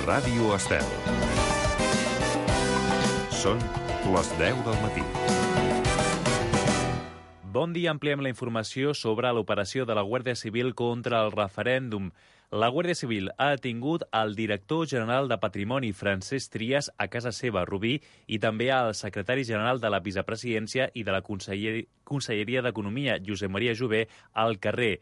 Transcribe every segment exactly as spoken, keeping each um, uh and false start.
Ràdio Estel. Són les deu del matí. Bon dia, ampliem la informació sobre l'operació de la Guàrdia Civil contra el referèndum. La Guàrdia Civil ha detingut el director general de Patrimoni, Francesc Trias, a casa seva, a Rubí, i també al secretari general de la Vicepresidència i de la Conselleria, Conselleria d'Economia, Josep Maria Jové, al carrer.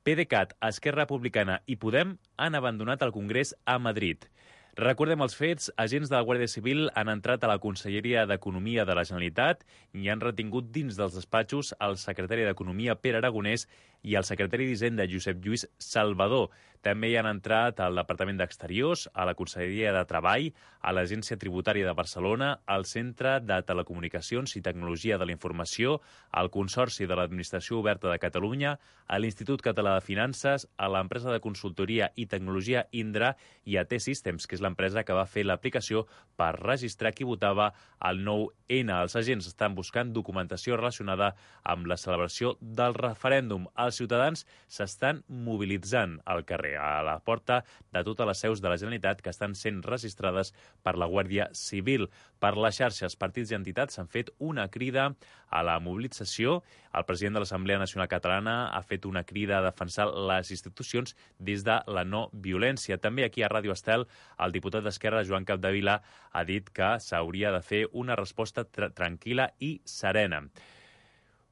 PDeCAT, Esquerra Republicana i Podem han abandonat el Congrés a Madrid. Recordem els fets, agents de la Guàrdia Civil han entrat a la Conselleria d'Economia de la Generalitat i han retingut dins dels despatxos el secretari d'Economia, Pere Aragonès, i el secretari d'Hisenda, Josep Lluís Salvador. També hi han entrat al Departament d'Exteriors, a la Conselleria de Treball, a l'Agència Tributària de Barcelona, al Centre de Telecomunicacions i Tecnologia de la Informació, al Consorci de l'Administració Oberta de Catalunya, a l'Institut Català de Finances, a l'empresa de consultoria i tecnologia Indra i a T-Systems, que és l'empresa que va fer l'aplicació per registrar qui votava al nou ene. Els agents estan buscant documentació relacionada amb la celebració del referèndum. Els ciutadans s'estan mobilitzant al carrer, a la porta de totes les seus de la Generalitat que estan sent registrades per la Guàrdia Civil. Per les xarxes, partits i entitats s'han fet una crida a la mobilització. El president de l'Assemblea Nacional Catalana ha fet una crida a defensar les institucions des de la no violència. També aquí a Ràdio Estel, el diputat d'Esquerra, Joan Capdevila, ha dit que s'hauria de fer una resposta tra- tranquil·la i serena.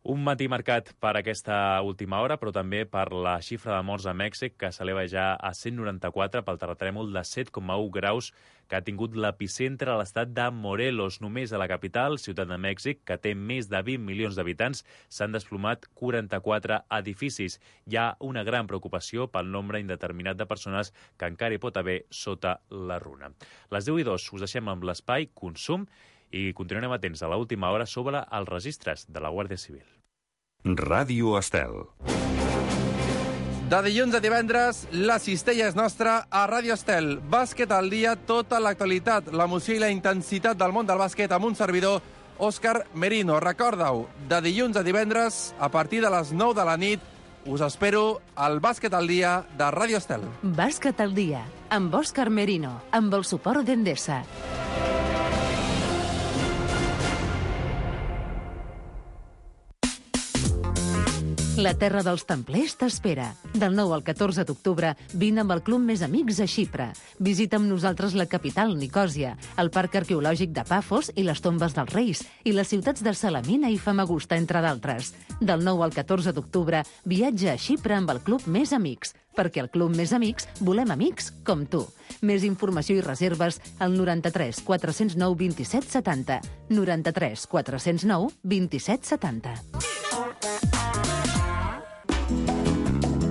Un matí marcat per aquesta última hora, però també per la xifra de morts a Mèxic, que s'eleva ja a cent noranta-quatre pel terratrèmol de set coma u graus que ha tingut l'epicentre a l'estat de Morelos. Només a la capital, Ciutat de Mèxic, que té més de vint milions d'habitants, s'han desplomat quaranta-quatre edificis. Hi ha una gran preocupació pel nombre indeterminat de persones que encara hi pot haver sota la runa. Les deu i dos us deixem amb l'espai Consum i continuarem atents a l'última hora sobre els registres de la Guàrdia Civil. Ràdio Estel. De dilluns a divendres, la cistella és nostra a Ràdio Estel. Bàsquet al dia, tota l'actualitat, l'emoció i la intensitat del món del bàsquet amb un servidor, Òscar Merino. Recorda-ho, de dilluns a divendres, a partir de les nou de la nit, us espero al Bàsquet al dia de Ràdio Estel. Bàsquet al dia, amb Òscar Merino, amb el suport d'Endesa. La terra dels templers t'espera. Del nou al catorze d'octubre, vine amb el Club Més Amics a Xipre. Visita amb nosaltres la capital, Nicòsia, el Parc Arqueològic de Pafos i les Tombes dels Reis, i les ciutats de Salamina i Famagusta, entre d'altres. Del nou al catorze d'octubre, viatja a Xipre amb el Club Més Amics, perquè al Club Més Amics volem amics com tu. Més informació i reserves al noranta-tres quatre zero nou vint-i-set setanta. noranta-tres quatre zero nou vint-i-set setanta.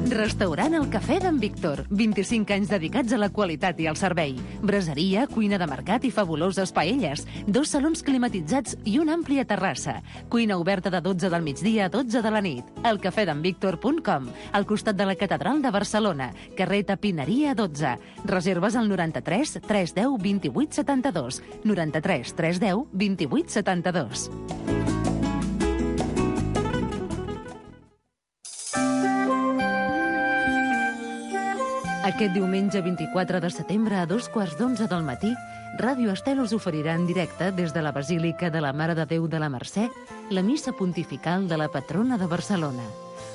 Restaurant El Cafè d'en Víctor. vint-i-cinc anys dedicats a la qualitat i al servei. Braseria, cuina de mercat i fabuloses paelles. Dos salons climatitzats i una àmplia terrassa. Cuina oberta de dotze del migdia a dotze de la nit. el cafè d'en víctor punt com. Al costat de la Catedral de Barcelona. Carrer Tapineria dotze. Reserves al noranta-tres tres deu vint-i-vuit setanta-dos. noranta-tres tres deu vint-i-vuit setanta-dos. Aquest diumenge vint-i-quatre de setembre a dos quarts d'onze del matí, Ràdio Estel us oferirà en directe des de la Basílica de la Mare de Déu de la Mercè la missa pontifical de la patrona de Barcelona.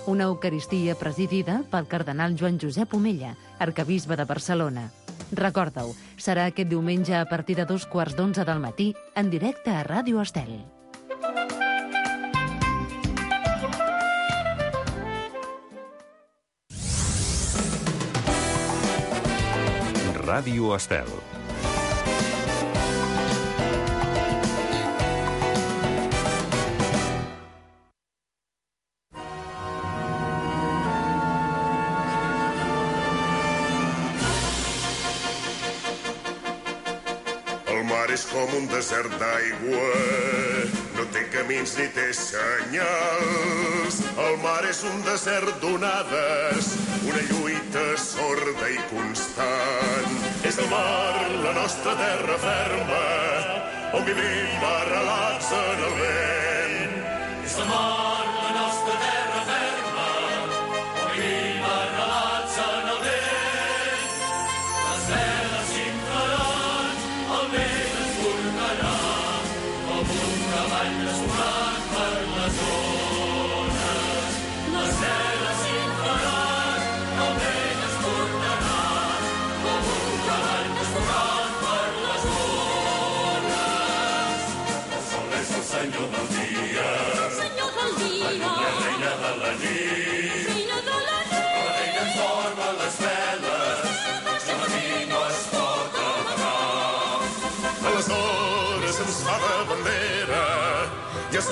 Una eucaristia presidida pel cardenal Joan Josep Omella, arquebisbe de Barcelona. Recorda-ho, serà aquest diumenge a partir de dos quarts d'onze del matí en directe a Ràdio Estel. Ràdio Estel. El mar és com un desert d'aigua, no té camins ni té senyals. El mar és un desert d'onades, una lluita sorda i constant. És el mar, la nostra terra ferma, on vivim arrelats en el vent. És el mar, la nostra terra ferma, on vivim arrelats en el vent. Les veles s'inflaran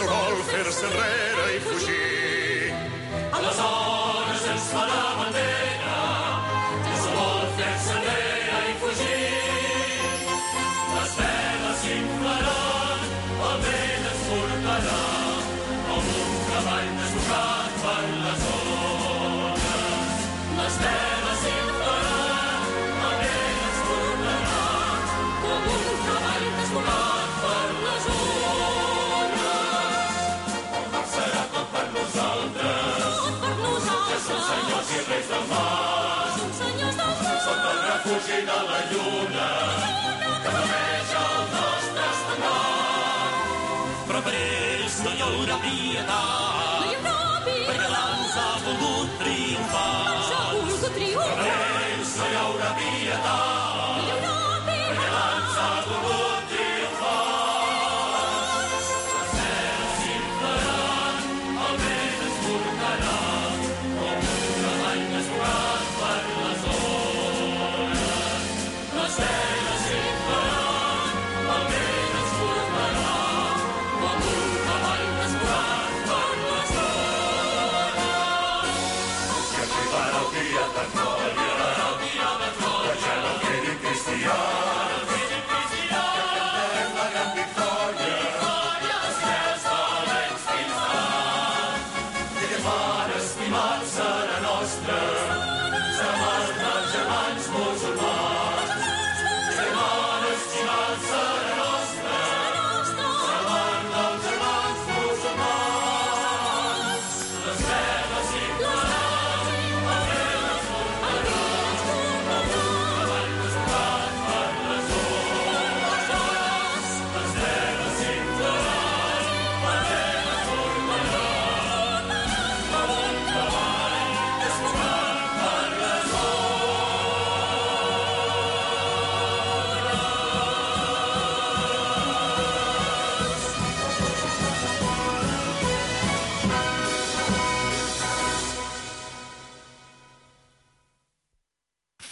no vol fer-se enrere i fugir. Aleshores ens fa la bandera, ja no vol fer-se enrere i fugir. Les veles s'inflaran, el vent ens portarà, com un cavall desbocat per les ones. Les veles s'inflaran, el vent ens portarà, com un cavall desbocat per les ones. El mar serà tot per nosaltres, tot per nosaltres. Ja som senyors i reis del mar, som senyors del mar. Sota el refugi de la lluna, que flameja el nostre estendard. Però per ells no hi haurà pietat, no hi haurà pietat, perquè l'ans ha volgut triomfar. L'ans ha volgut triomfar. Per ells no hi haurà pietat, no hi haurà pietat, perquè l'ans ha volgut triomfar. Les veles s'inflaran, el vent ens portarà, com un cavall desbocat per les ones. Les veles s'inflaran, el vent ens portarà, com un cavall desbocat per les ones. I arribarà el dia de glòria, que ja no quedin cristians, que cantarem la gran victòria, els nens valents fins davant. I aquest mar estimat serà nostre, serà els germans musulmans. I aquest mar estimat serà nostre, serà els germans musulmans. Les veles s'inflaran, el vent ens portarà, com un cavall desbocat per les ones. Les veles s'inflaran, el vent ens portarà, com un cavall desbocat per les ones.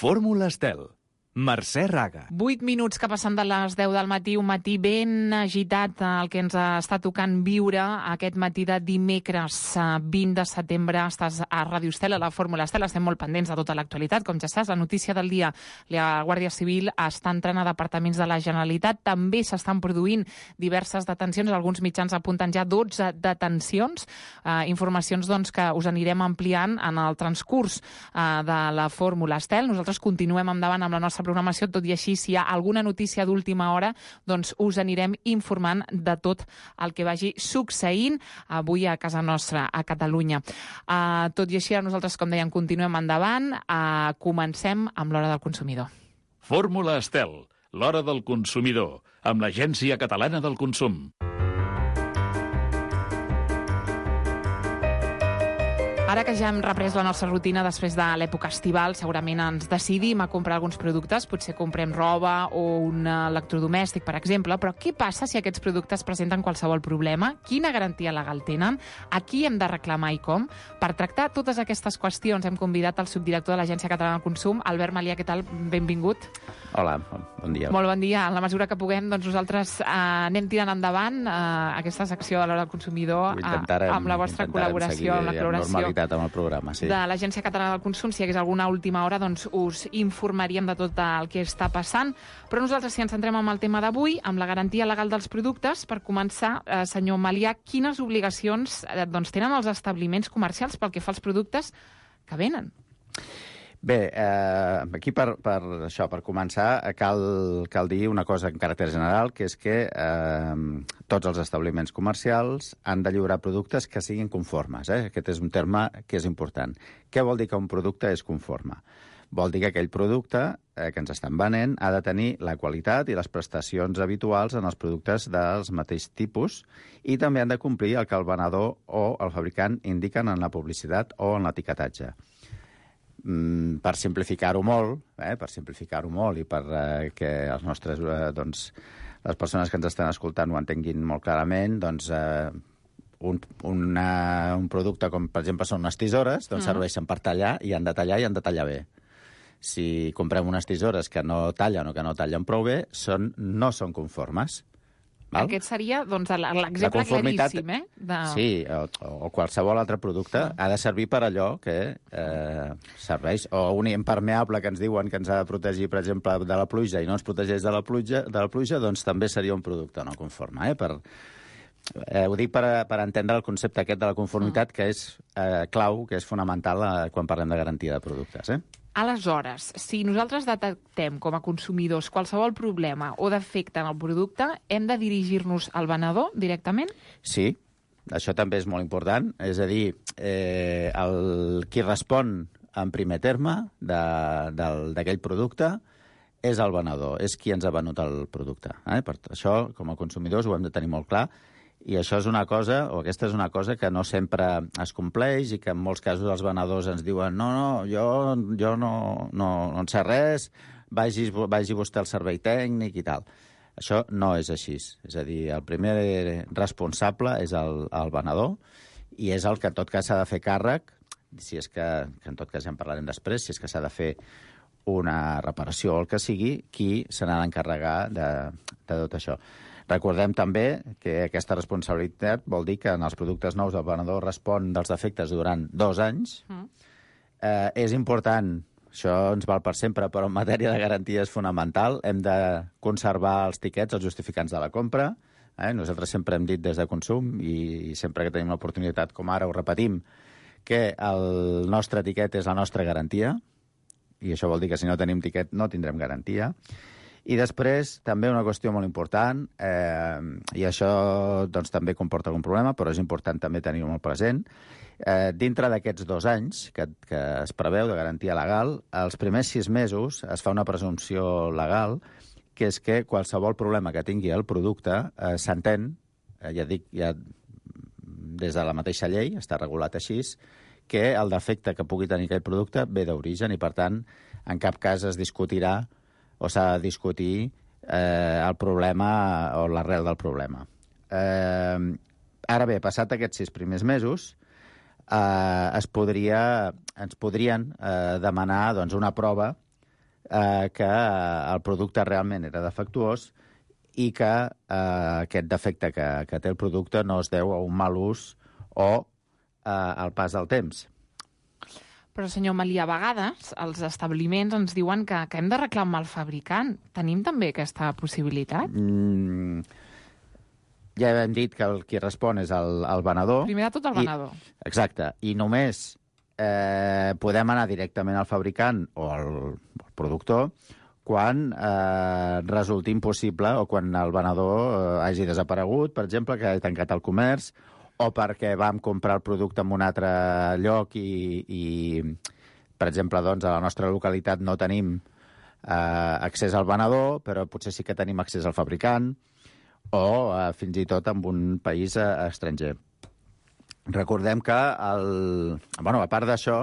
Fórmula Estel. Mercè Raga. Vuit minuts que passen de les deu del matí, un matí ben agitat, el que ens està tocant viure aquest matí de dimecres vint de setembre. Estàs a Ràdio Estel, a la Fórmula Estel, estem molt pendents de tota l'actualitat, com ja saps. La notícia del dia, la Guàrdia Civil està entrant a departaments de la Generalitat, també s'estan produint diverses detencions, alguns mitjans apunten ja dotze detencions, eh, informacions doncs, que us anirem ampliant en el transcurs eh, de la Fórmula Estel. Nosaltres continuem endavant amb la nostra programació, tot i així, si hi ha alguna notícia d'última hora, doncs us anirem informant de tot el que vagi succeint avui a casa nostra, a Catalunya. Uh, tot i així, nosaltres, com dèiem, continuem endavant. Uh, comencem amb l'Hora del Consumidor. Fórmula Estel, l'Hora del Consumidor, amb l'Agència Catalana del Consum. Ara que ja hem reprès la nostra rutina després de l'època estival, segurament ens decidim a comprar alguns productes, potser comprem roba o un electrodomèstic, per exemple, però què passa si aquests productes presenten qualsevol problema? Quina garantia legal tenen? A qui hem de reclamar i com? Per tractar totes aquestes qüestions hem convidat el subdirector de l'Agència Catalana del Consum, Albert Malià. Què tal? Benvingut. Hola, bon dia. Molt bon dia. En la mesura que puguem, doncs nosaltres eh, anem tirant endavant eh, aquesta secció de l'Hora del Consumidor eh, amb la vostra col·laboració, amb la col·laboració amb el programa, sí. de l'Agència Catalana del Consum. Si hi hagués alguna última hora, doncs us informaríem de tot el que està passant. Però nosaltres, si ens centrem en el tema d'avui, amb la garantia legal dels productes, per començar, eh, senyor Malià, quines obligacions eh, doncs, tenen els establiments comercials pel que fa als productes que venen? Bé, eh, aquí per, per això, per començar, cal, cal dir una cosa en caràcter general, que és que eh, tots els establiments comercials han de lliurar productes que siguin conformes. Eh? Aquest és un terme que és important. Què vol dir que un producte és conforme? Vol dir que aquell producte eh, que ens estan venent ha de tenir la qualitat i les prestacions habituals en els productes dels mateix tipus i també han de complir el que el venedor o el fabricant indiquen en la publicitat o en l'etiquetatge. Mm, per simplificar-ho molt, eh, per simplificar-ho molt i per eh, que els nostres, eh, doncs, les persones que ens estan escoltant ho entenguin molt clarament, doncs eh, un, una, un producte com, per exemple, són unes tisores, doncs mm. serveixen per tallar i han de tallar i han de tallar bé. Si comprem unes tisores que no tallen o que no tallen prou bé, són, no són conformes. Val? Aquest seria doncs, l'exemple claríssim, eh? De... Sí, o, o qualsevol altre producte ha de servir per allò que eh, serveix. O un impermeable que ens diuen que ens ha de protegir, per exemple, de la pluja i no ens protegeix de la pluja, de la pluja doncs també seria un producte no conforme. Eh? Per, eh, ho dic per, per entendre el concepte aquest de la conformitat, que és eh, clau, que és fonamental eh, quan parlem de garantia de productes. Eh? Aleshores, si nosaltres detectem com a consumidors qualsevol problema o defecte en el producte, hem de dirigir-nos al venedor directament? Sí, això també és molt important. És a dir, eh, el, qui respon en primer terme d'aquell producte és el venedor, és qui ens ha venut el producte. Eh? Per això, com a consumidors, ho hem de tenir molt clar. I això és una cosa, o aquesta és una cosa que no sempre es compleix i que en molts casos els venedors ens diuen no, no, jo, jo no, no, no en sé res, vagi, vagi vostè al servei tècnic i tal. Això no és així. És a dir, el primer responsable és el, el venedor i és el que en tot cas s'ha de fer càrrec, si és que, que en tot cas ja en parlarem després, si és que s'ha de fer una reparació o el que sigui, qui se n'ha d'encarregar de, de tot això. Recordem també que aquesta responsabilitat vol dir que en els productes nous el venedor respon dels defectes durant dos anys. Mm. Eh, és important, això ens val per sempre, però en matèria de garantia és fonamental. Hem de conservar els tiquets, els justificants de la compra. Eh? Nosaltres sempre hem dit des de Consum, i sempre que tenim l'oportunitat, com ara ho repetim, que el nostre tiquet és la nostra garantia, i això vol dir que si no tenim tiquet no tindrem garantia. I després, també una qüestió molt important, eh, i això doncs, també comporta algun problema, però és important també tenir-ho molt present. Eh, dintre d'aquests dos anys que, que es preveu de garantia legal, els primers sis mesos es fa una presumpció legal, que és que qualsevol problema que tingui el producte eh, s'entén, eh, ja dic, ja des de la mateixa llei, està regulat així, que el defecte que pugui tenir aquell producte ve d'origen i, per tant, en cap cas es discutirà o s'ha de discutir eh, el problema o l'arrel del problema. Eh, ara bé, passat aquests sis primers mesos, eh, es podria, ens podrien eh, demanar doncs, una prova eh, que el producte realment era defectuós i que eh, aquest defecte que, que té el producte no es deu a un mal ús o eh, al pas del temps. Però, senyor Malí, a vegades els establiments ens diuen que, que hem de reclamar al fabricant. Tenim també aquesta possibilitat? Mm, ja hem dit que el qui respon és el, el venedor. Primer de tot el venedor. I, exacte. I només eh, podem anar directament al fabricant o al, al productor quan eh, resulti impossible o quan el venedor eh, hagi desaparegut, per exemple, que hagi tancat el comerç, o perquè vam comprar el producte en un altre lloc i, i per exemple, doncs, a la nostra localitat no tenim eh, accés al venedor, però potser sí que tenim accés al fabricant, o eh, fins i tot en un país eh, estranger. Recordem que, el, bueno, a part d'això,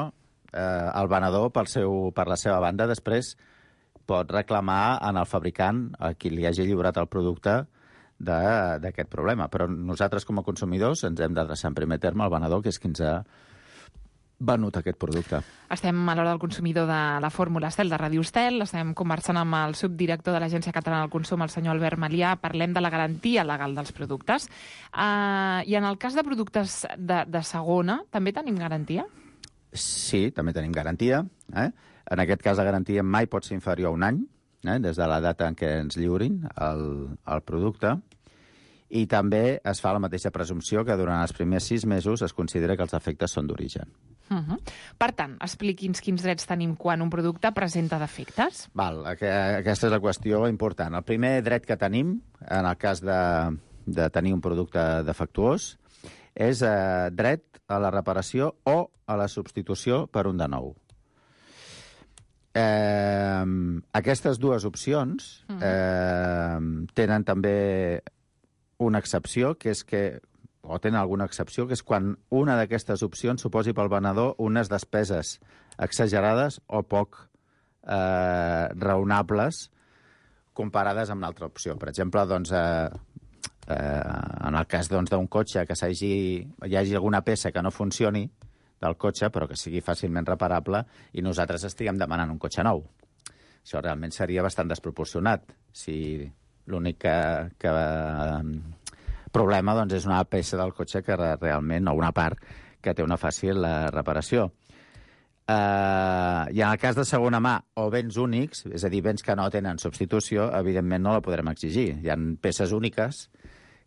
eh, el venedor, pel seu, per la seva banda, després pot reclamar en el fabricant, a qui li hagi lliurat el producte, d'aquest problema. Però nosaltres, com a consumidors, ens hem d'adreçar en primer terme al venedor, que és qui ens ha venut aquest producte. Estem a l'hora del consumidor de la Fórmula Estel de Ràdio Estel. Estem conversant amb el subdirector de l'Agència Catalana del Consum, el senyor Albert Malià. Parlem de la garantia legal dels productes. Uh, I en el cas de productes de, de segona, també tenim garantia? Sí, també tenim garantia. Eh? En aquest cas, la garantia mai pot ser inferior a un any, eh? des de la data en què ens lliurin el, el producte. I també es fa la mateixa presumpció que durant els primers sis mesos es considera que els defectes són d'origen. Uh -huh. Per tant, expliqui'ns quins drets tenim quan un producte presenta defectes. Val, aquesta és la qüestió important. El primer dret que tenim, en el cas de, de tenir un producte defectuós, és eh, dret a la reparació o a la substitució per un de nou. Eh, aquestes dues opcions eh, tenen també una excepció, que és que, o tenen alguna excepció, que és quan una d'aquestes opcions suposi pel venedor unes despeses exagerades o poc eh, raonables comparades amb l'altra opció. Per exemple, doncs, eh, eh, en el cas doncs, d'un cotxe que s'hagi, hi hagi alguna peça que no funcioni del cotxe, però que sigui fàcilment reparable, i nosaltres estiguem demanant un cotxe nou. Això realment seria bastant desproporcionat. Si L'únic que, que problema doncs, és una peça del cotxe que realment, o una part, que té una fàcil uh, reparació. Uh, I en el cas de segona mà o béns únics, és a dir, béns que no tenen substitució, evidentment no la podrem exigir. Hi ha peces úniques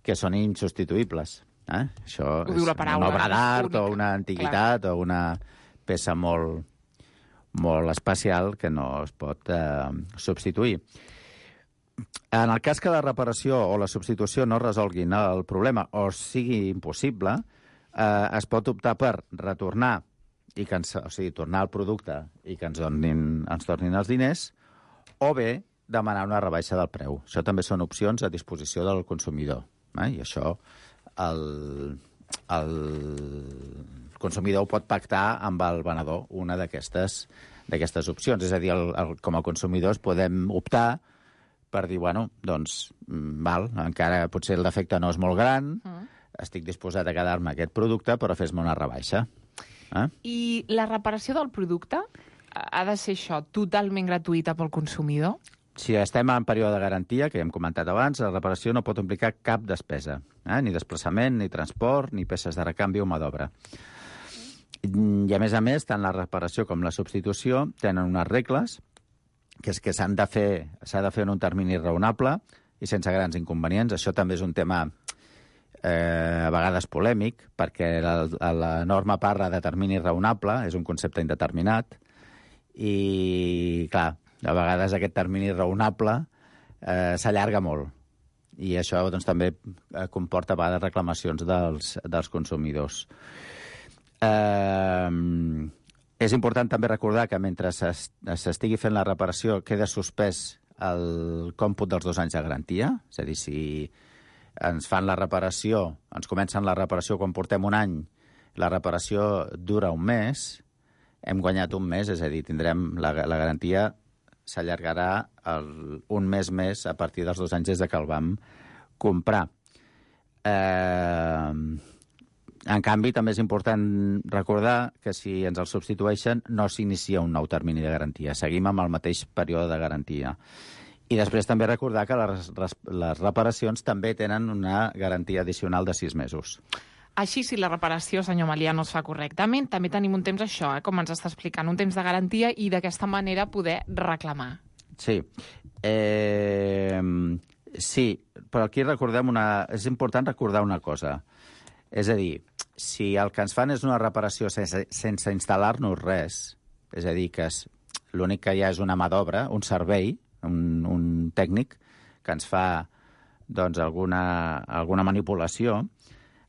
que són insubstituïbles. Eh? Això Ho diu la paraula, una obra d'art única. o una antiguitat Clar. o una peça molt, molt especial que no es pot eh, substituir. En el cas que la reparació o la substitució no resolguin el problema o sigui impossible, eh, es pot optar per retornar i que ens, o sigui, tornar el producte i que ens, donin, ens tornin els diners, o bé demanar una rebaixa del preu. Això també són opcions a disposició del consumidor. Eh? I això el, el consumidor ho pot pactar amb el venedor, una d'aquestes d'aquestes opcions. És a dir, el, el, com a consumidors podem optar per dir, bueno, doncs, val, encara potser el defecte no és molt gran, mm. estic disposat a quedar-me aquest producte, però fes-me una rebaixa. Eh? I la reparació del producte ha de ser això, totalment gratuïta pel consumidor? Si estem en període de garantia, que ja hem comentat abans, la reparació no pot implicar cap despesa, eh? ni desplaçament, ni transport, ni peces de recanvi o mà d'obra. I, a més a més, tant la reparació com la substitució tenen unes regles, que és que s'han de fer, s'ha de fer en un termini raonable i sense grans inconvenients. Això també és un tema eh, a vegades polèmic, perquè la, la norma parla de termini raonable, és un concepte indeterminat, i, clar, a vegades aquest termini raonable eh, s'allarga molt. I això doncs, també comporta a vegades reclamacions dels, dels consumidors. Eh, és important també recordar que mentre s'estigui fent la reparació queda suspès el còmput dels dos anys de garantia. És a dir, si ens fan la reparació, ens comencen la reparació quan portem un any, la reparació dura un mes, hem guanyat un mes, és a dir, tindrem la, la garantia s'allargarà un mes més a partir dels dos anys des de que el vam comprar. Eh, en canvi, també és important recordar que si ens el substitueixen no s'inicia un nou termini de garantia. Seguim amb el mateix període de garantia. I després també recordar que les, les reparacions també tenen una garantia addicional de sis mesos. Així, si la reparació, senyor Melià, no es fa correctament, també tenim un temps, això, eh, com ens està explicant, un temps de garantia i d'aquesta manera poder reclamar. Sí. Eh, sí, però aquí recordem una... És important recordar una cosa. És a dir, si el que ens fan és una reparació sense, sense instal·lar-nos res, és a dir, que és, l'únic que hi ha és una mà d'obra, un servei, un, un tècnic, que ens fa doncs, alguna, alguna manipulació,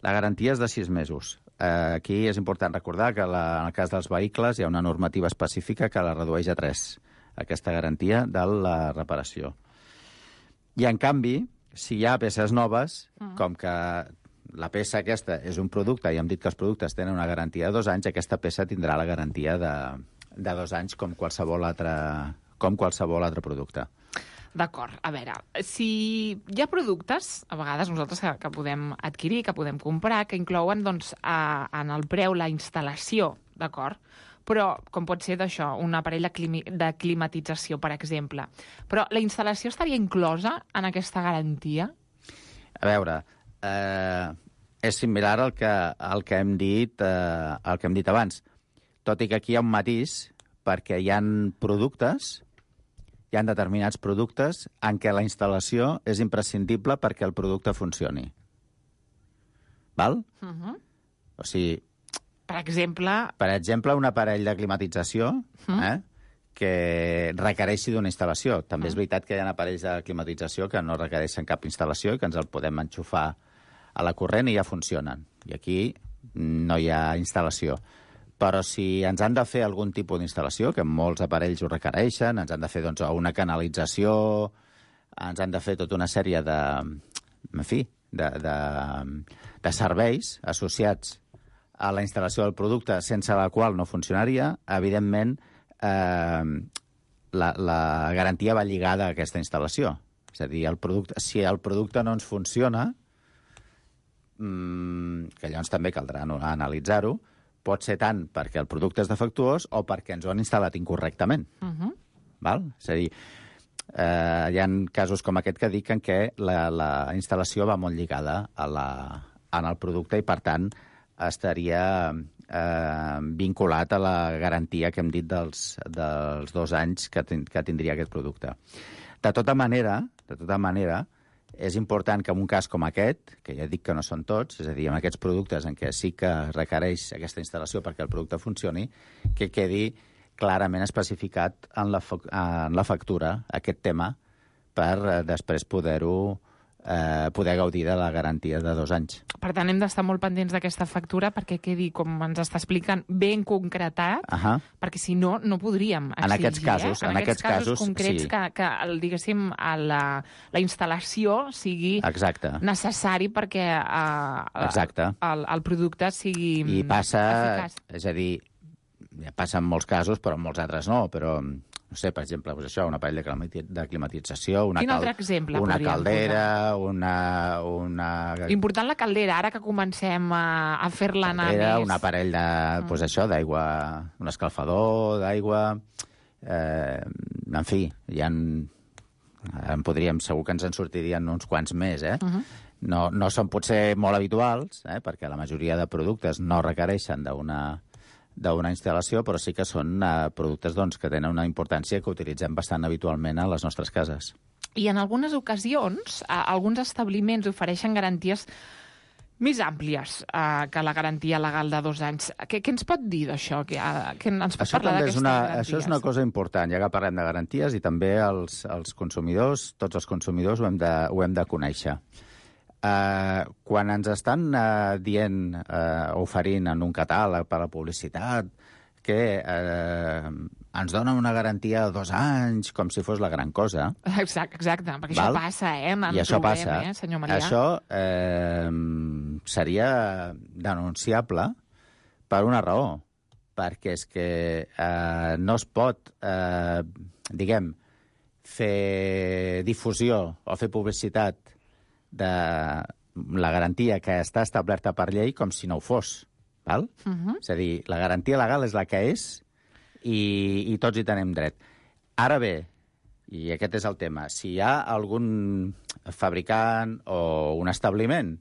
la garantia és de sis mesos. Eh, aquí és important recordar que la, en el cas dels vehicles hi ha una normativa específica que la redueix a tres, aquesta garantia de la reparació. I, en canvi, si hi ha peces noves, mm. com que la peça aquesta és un producte, i hem dit que els productes tenen una garantia de dos anys, aquesta peça tindrà la garantia de, de dos anys com qualsevol altre, com qualsevol altre producte. D'acord. A veure, si hi ha productes, a vegades nosaltres que, que podem adquirir, que podem comprar, que inclouen doncs, a, en el preu la instal·lació, d'acord? Però, com pot ser d'això, un aparell de, climi, de climatització, per exemple. Però la instal·lació estaria inclosa en aquesta garantia? A veure, eh, és similar al que, al que hem dit, eh, al que hem dit abans. Tot i que aquí hi ha un matís, perquè hi ha productes... Hi ha determinats productes en què la instal·lació és imprescindible perquè el producte funcioni. Val? Uh-huh. O sigui... Per exemple... Per exemple, un aparell de climatització uh-huh. eh, que requereixi d'una instal·lació. També uh-huh. és veritat que hi ha aparells de climatització que no requereixen cap instal·lació i que ens el podem enxufar a la corrent i ja funcionen. I aquí no hi ha instal·lació. Però si ens han de fer algun tipus d'instal·lació, que molts aparells ho requereixen, ens han de fer doncs, una canalització, ens han de fer tota una sèrie de, en fi, de, de, de serveis associats a la instal·lació del producte sense la qual no funcionaria, evidentment eh, la, la garantia va lligada a aquesta instal·lació. És a dir, el producte, si el producte no ens funciona, mmm, que llavors també caldrà no, analitzar-ho, pot ser tant perquè el producte és defectuós o perquè ens ho han instal·lat incorrectament. Uh-huh. Val? És a dir, eh, hi ha casos com aquest que diuen que la, la instal·lació va molt lligada a la, en el producte i, per tant, estaria eh, vinculat a la garantia que hem dit dels, dels dos anys que, ten, que tindria aquest producte. De tota manera, de tota manera, és important que en un cas com aquest, que ja dic que no són tots, és a dir, en aquests productes en què sí que requereix aquesta instal·lació perquè el producte funcioni, que quedi clarament especificat en la, en la factura aquest tema per eh, després poder-ho eh, poder gaudir de la garantia de dos anys. Per tant, hem d'estar molt pendents d'aquesta factura perquè quedi, com ens està explicant, ben concretat, uh -huh. perquè si no, no podríem exigir. En aquests casos, eh? en, en aquests casos, casos concrets sí. que, que el, diguéssim, la, la instal·lació sigui Exacte. necessari perquè eh, Exacte. El, el producte sigui I passa, eficaç. és a dir, ja passa en molts casos, però en molts altres no, però, no sé, per exemple, doncs això, un aparell de, climati de climatització, una, Quin cal altre exemple una podríem caldera, una, una... Important la caldera, ara que comencem a, a fer-la anar caldera, més... un aparell de, doncs això, d'aigua, un escalfador d'aigua, eh, en fi, hi ha... En podríem, segur que ens en sortirien uns quants més, eh? Uh-huh. No, no són potser molt habituals, eh? Perquè la majoria de productes no requereixen d'una d'una instal·lació, però sí que són eh, productes doncs, que tenen una importància que utilitzem bastant habitualment a les nostres cases. I en algunes ocasions, eh, alguns establiments ofereixen garanties més àmplies eh, que la garantia legal de dos anys. Què, què ens pot dir d'això? Què, eh, què ens pot això parlar d'aquestes garanties? Això és una cosa important, ja que parlem de garanties, i també els, els consumidors, tots els consumidors ho hem de, ho hem de conèixer. Uh, quan ens estan uh, dient, uh, oferint en un catàleg per a la publicitat, que uh, ens donen una garantia de dos anys, com si fos la gran cosa. Exacte, exacte perquè val? això passa, eh? En I això trobem, passa. Eh, senyor Marià? Això eh, seria denunciable per una raó, perquè és que eh, no es pot, eh, diguem, fer difusió o fer publicitat de la garantia que està establerta per llei com si no ho fos. Val? Uh-huh. És a dir, la garantia legal és la que és i, i tots hi tenim dret. Ara bé, i aquest és el tema, si hi ha algun fabricant o un establiment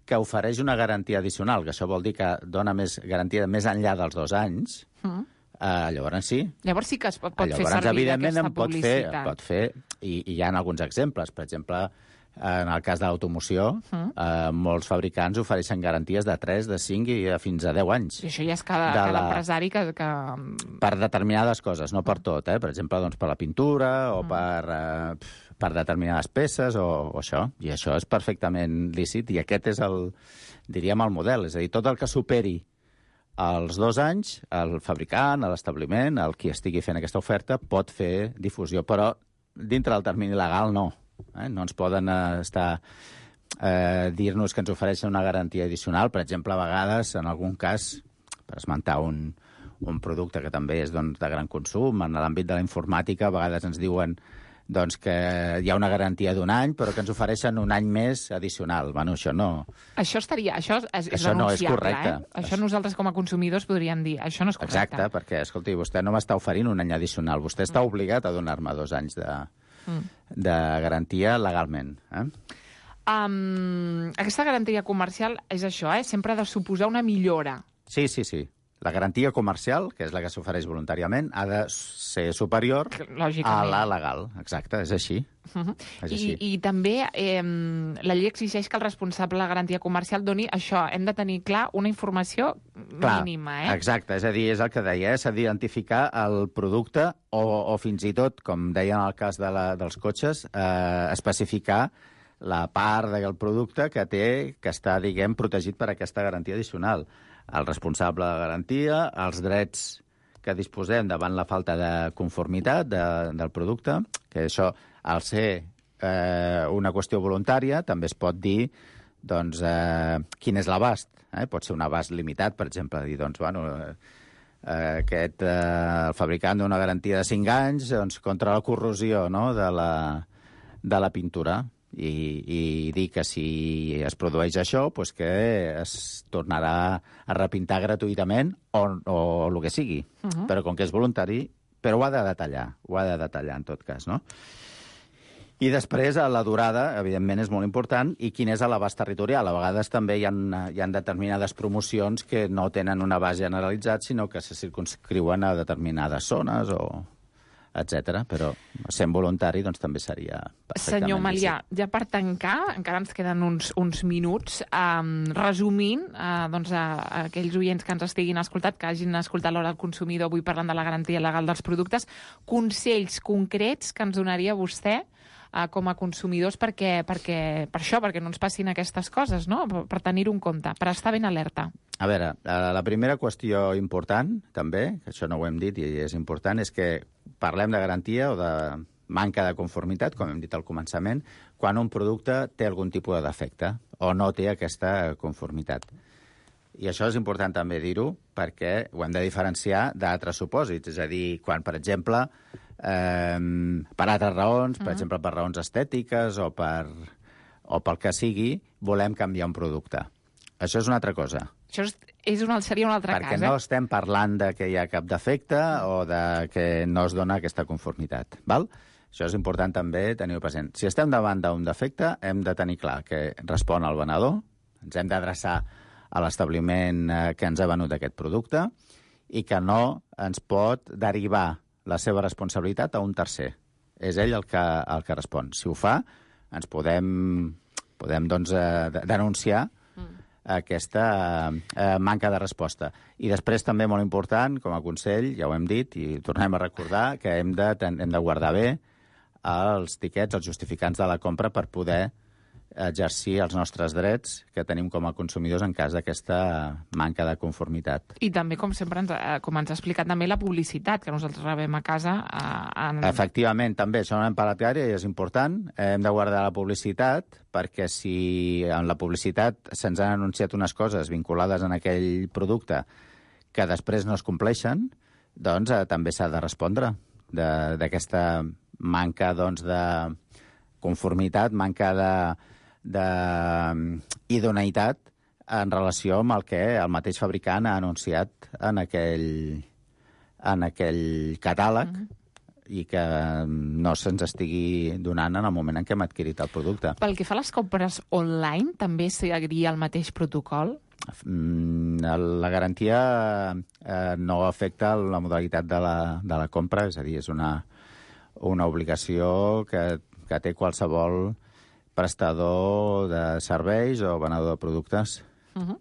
que ofereix una garantia addicional, que això vol dir que dona més garantia més enllà dels dos anys, uh-huh. eh, llavors sí. Llavors sí que es pot, pot llavors, fer servir evidentment, aquesta en pot publicitat. fer, pot fer i, i hi ha alguns exemples. Per exemple, en el cas de l'automoció, uh-huh. eh, molts fabricants ofereixen garanties de tres, de cinc i de fins a deu anys. I això ja és cada, cada la... empresari que, que... Per determinades coses, no per tot. Eh? Per exemple, doncs, per la pintura o uh-huh. per, eh, per determinades peces o, o això. I això és perfectament lícit i aquest és el, diríem, el model. És a dir, tot el que superi els dos anys, el fabricant, l'establiment, el qui estigui fent aquesta oferta, pot fer difusió, però dintre del termini legal no. Eh? No ens poden eh, estar eh, dir-nos que ens ofereixen una garantia addicional. Per exemple, a vegades, en algun cas, per esmentar un, un producte que també és doncs, de gran consum, en l'àmbit de la informàtica, a vegades ens diuen doncs, que hi ha una garantia d'un any, però que ens ofereixen un any més addicional. Bueno, això no... Això estaria... Això és, és això no és correcte. Eh? Això nosaltres com a consumidors podríem dir. Això no és correcte. Exacte, perquè, escolti, vostè no m'està oferint un any addicional. Vostè està obligat a donar-me dos anys de... Mm. de garantia legalment. Eh? Um, aquesta garantia comercial és això, eh? Sempre ha de suposar una millora. Sí, sí, sí. La garantia comercial, que és la que s'ofereix voluntàriament, ha de ser superior a la legal. Exacte, és així. Uh-huh. és així. I, I també eh, la llei exigeix que el responsable de la garantia comercial doni això. Hem de tenir clar una informació clar, mínima. Eh? Exacte, és a dir, és el que deia, eh? s'ha d'identificar el producte o, o fins i tot, com deien en el cas de la, dels cotxes, eh, especificar la part del producte que té, que està, diguem, protegit per aquesta garantia addicional. El responsable de garantia, els drets que disposem davant la falta de conformitat de, del producte, que això, al ser eh, una qüestió voluntària, també es pot dir doncs, eh, quin és l'abast. Eh? Pot ser un abast limitat, per exemple, dir, doncs, bueno, eh, aquest, eh, el fabricant d'una garantia de cinc anys doncs, contra la corrosió, no?, de la, de la pintura. I, i dir que si es produeix això, pues que es tornarà a repintar gratuïtament o, o el que sigui. Uh-huh. Però com que és voluntari, però ho ha de detallar, ho ha de detallar en tot cas, no? I després, la durada, evidentment, és molt important, i quin és l'abast territorial. A vegades també hi ha, hi ha determinades promocions que no tenen un abast generalitzat, sinó que se circunscriuen a determinades zones o etcètera. Però sent voluntari doncs, també seria perfectament Senyor Malià, lícit. ja per tancar, encara ens queden uns, uns minuts, um, resumint, uh, doncs, a, a aquells oients que ens estiguin escoltat, que hagin escoltat l'Hora del Consumidor avui parlant de la garantia legal dels productes, consells concrets que ens donaria vostè uh, com a consumidors perquè, perquè, per això, perquè no ens passin aquestes coses, no? Per, per tenir-ho en compte, per estar ben alerta. A veure, la primera qüestió important, també, que això no ho hem dit i és important, és que parlem de garantia o de manca de conformitat, com hem dit al començament, quan un producte té algun tipus de defecte o no té aquesta conformitat. I això és important també dir-ho perquè ho hem de diferenciar d'altres supòsits. És a dir, quan, per exemple, eh, per altres raons, per uh-huh. exemple, per raons estètiques o, per, o pel que sigui, volem canviar un producte. Això és una altra cosa. Això és, és un, seria un altre Perquè cas, no eh? estem parlant de que hi ha cap defecte o de que no es dona aquesta conformitat. Val? Això és important també tenir-ho present. Si estem davant d'un defecte, hem de tenir clar que respon al venedor, ens hem d'adreçar a l'establiment que ens ha venut aquest producte i que no ens pot derivar la seva responsabilitat a un tercer. És ell el que, el que respon. Si ho fa, ens podem, podem doncs, denunciar aquesta eh, manca de resposta. I després també molt important, com a consell, ja ho hem dit i tornem a recordar, que hem de, hem de guardar bé els tiquets, els justificants de la compra per poder exercir els nostres drets que tenim com a consumidors en cas d'aquesta manca de conformitat. I també, com sempre, ens, com ens ha explicat també la publicitat que nosaltres rebem a casa. Eh, en... Efectivament, també, això no hem parlat gaire i és important. Hem de guardar la publicitat perquè si en la publicitat se'ns han anunciat unes coses vinculades en aquell producte que després no es compleixen, doncs eh, també s'ha de respondre d'aquesta manca doncs, de conformitat, manca de d'idoneïtat en relació amb el que el mateix fabricant ha anunciat en aquell, en aquell catàleg mm-hmm. i que no se'ns estigui donant en el moment en què hem adquirit el producte. Pel que fa a les compres online, també seguiria el mateix protocol? La garantia eh, no afecta la modalitat de la, de la compra, és a dir, és una, una obligació que, que té qualsevol prestador de serveis o venedor de productes. Uh-huh.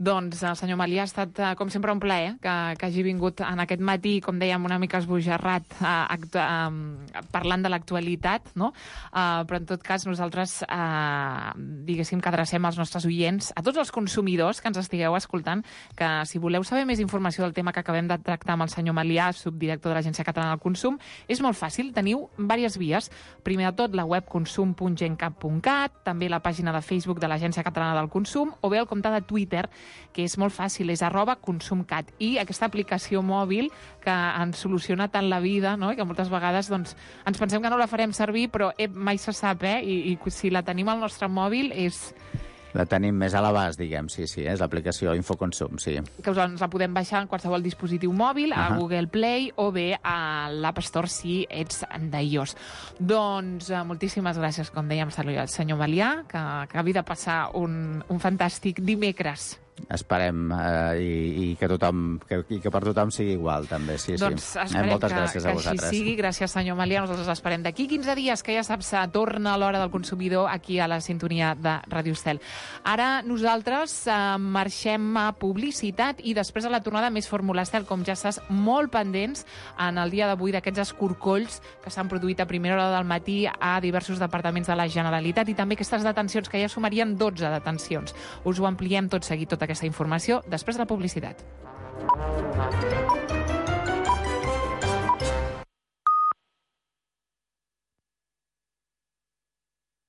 Doncs, senyor Malià, ha estat, com sempre, un plaer que, que hagi vingut en aquest matí, com dèiem, una mica esbojarrat, eh, eh, parlant de l'actualitat, no? Eh, però, en tot cas, nosaltres, eh, diguéssim, que adrecem als nostres oients, a tots els consumidors que ens estigueu escoltant, que si voleu saber més informació del tema que acabem de tractar amb el senyor Malià, subdirector de l'Agència Catalana del Consum, és molt fàcil, teniu diverses vies. Primer de tot, la web consum punt gencat punt cat, també la pàgina de Facebook de l'Agència Catalana del Consum, o bé el compte de Twitter, que és molt fàcil, és arroba consumcat. I aquesta aplicació mòbil que ens soluciona tant la vida, no? I que moltes vegades doncs, ens pensem que no la farem servir, però eh, mai se sap, eh? I, I si la tenim al nostre mòbil és... La tenim més a l'abast, diguem, sí, sí, és l'aplicació Infoconsum, sí. Que us la podem baixar en qualsevol dispositiu mòbil, a uh-huh. Google Play o bé a l'App Store si ets d'iOS. Doncs eh, moltíssimes gràcies, com dèiem, al senyor Malià, que, que acabi de passar un, un fantàstic dimecres. Esperem eh, i, i, que tothom, que, i que per tothom sigui igual, també. Sí, doncs sí. esperem eh, moltes que, gràcies que a vosaltres. així sigui. Gràcies, senyor Malià. Nosaltres esperem d'aquí quinze dies, que ja saps, torna l'Hora del Consumidor aquí a la sintonia de Ràdio Estel. Ara nosaltres eh, marxem a publicitat i després a la tornada més Fórmula Estel, com ja saps, molt pendents en el dia d'avui d'aquests escorcolls que s'han produït a primera hora del matí a diversos departaments de la Generalitat i també aquestes detencions, que ja sumarien dotze detencions. Us ho ampliem tot seguit, tota aquesta informació, després de la publicitat.